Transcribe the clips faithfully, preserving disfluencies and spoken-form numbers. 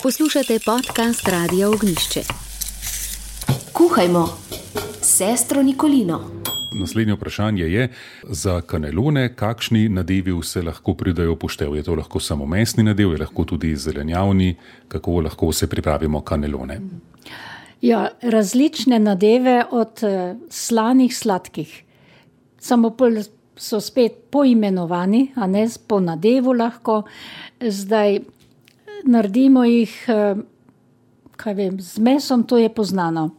Poslušate podcast Radia Ognjišče. Kuhajmo s sestro Nikolino. Naslednje vprašanje je, za kanelone, kakšni nadevi se lahko pridajo v poštev? Je to lahko samo mesni nadev, je lahko tudi zelenjavni? Kako lahko se pripravimo kanelone? Ja, različne nadeve od slanih sladkih. Samo pol so spet poimenovani, a ne po nadevu lahko. Zdaj naredimo jih, kaj vem, z mesom, to je poznano.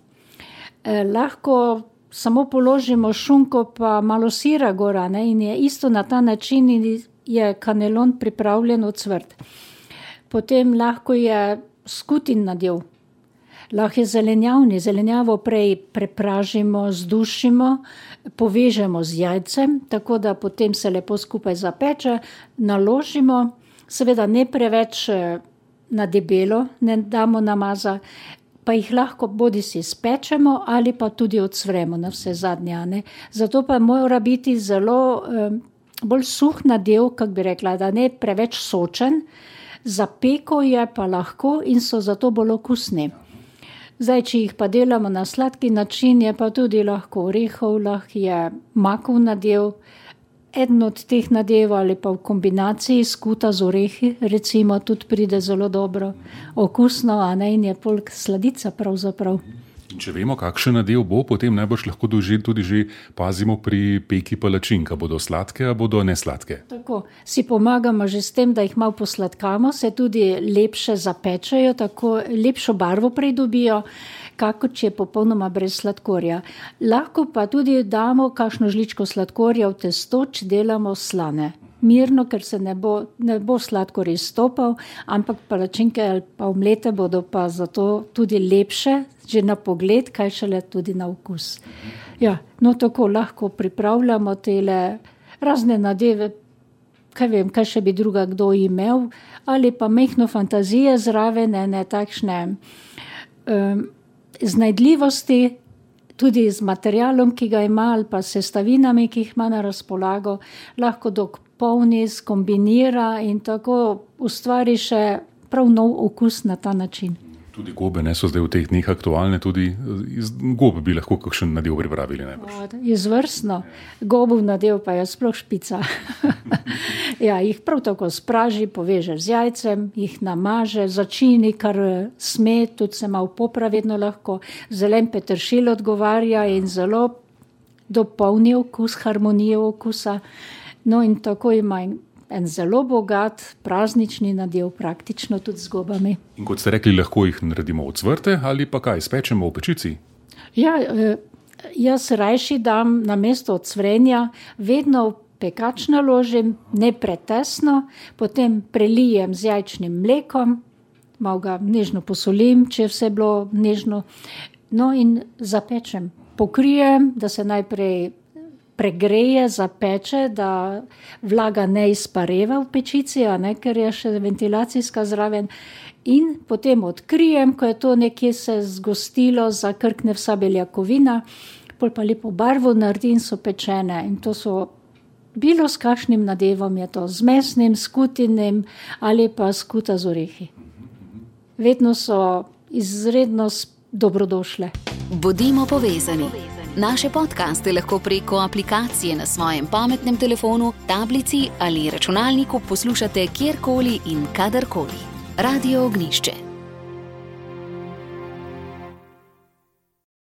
Eh, lahko samo položimo šunko pa malo sira gora, ne, in je isto na ta način je kanelon pripravljen ocvrt. Potem lahko je skutin nadev. Lahko je zelenjavni, zelenjavo prej prepražimo, zdušimo, povežemo z jajcem, tako da potem se lepo skupaj zapeče, naložimo, seveda ne preveč na debelo, ne damo namaza, pa jih lahko bodi si spečemo ali pa tudi odsvremo na vse zadnje. Zato pa mora biti zelo eh, bolj suh nadev, kak bi rekla, da ne preveč sočen, za peko je pa lahko in so zato bolj okusni. Zdaj, če jih pa delamo na sladki način, je pa tudi lahko orehov, lahko je makov nadev, eden od teh nadev ali pa v kombinaciji skuta z orehi, recimo, tudi pride zelo dobro, okusno, a ne, in je polk sladica pravzaprav. Če vemo, kakšen nadev bo, potem najbrž lahko tudi že pazimo pri peki palačink, a bodo sladke, a bodo nesladke. Tako, si pomagamo že s tem, da jih malo posladkamo, se tudi lepše zapečejo, tako lepšo barvo pridobijo, kako če je popolnoma brez sladkorja. Lahko pa tudi damo kakšno žličko sladkorja v testo, če delamo slane. Mirno, ker se ne bo, ne bo sladkor izstopal, ampak palačinke ali pa omlete bodo pa zato tudi lepše, že na pogled, kaj šele tudi na okus. Ja, no tako lahko pripravljamo tele razne nadeve, kaj vem, kaj še bi druga kdo imel, ali pa mehno fantazije zraven, ne takšne um, znajdljivosti, tudi z materialom, ki ga ima, ali pa sestavinami, ki jih ima na razpolago, lahko dopolni, skombinira in tako ustvari še prav nov okus na ta način. Tudi gobe, ne, so zdaj v teh dneh aktualne, tudi iz gobe bi lahko kakšen nadev pripravili najbrž. Izvrstno. Gobov nadev pa je sploh špica. Ja, jih prav tako spraži, poveže z jajcem, jih namaže, začini, kar sme, tudi se malo popra vedno lahko. Zelen peteršilj odgovarja in zelo dopolni okus, harmonijo okusa. No in tako ima en zelo bogat praznični nadev, praktično tudi z gobami. In kot ste rekli, lahko jih naredimo ocvrte ali pa kaj, spečemo v pečici? Ja, jaz rajši dam na mesto ocvrenja, vedno v pekač naložim, ne pretesno, potem prelijem z jajčnim mlekom, malo ga nežno posolim, če je vse bilo nežno, no in zapečem. Pokrijem, da se najprej pregreje, zapeče, da vlaga ne izpareva v pečici, a ne, ker je še ventilacijska zraven. In potem odkrijem, ko je to nekje se zgostilo, zakrkne vsa beljakovina, pol pa lepo barvo naredi in so pečene. In to so bilo s kakšnim nadevom, je to z mesnim, skutinim ali pa skuta z orehi. Vedno so izredno dobrodošle. Bodimo povezani. Naše podcaste lahko preko aplikacije na svojem pametnem telefonu, tablici ali računalniku poslušate kjerkoli in kadarkoli. Radio Ognjišče.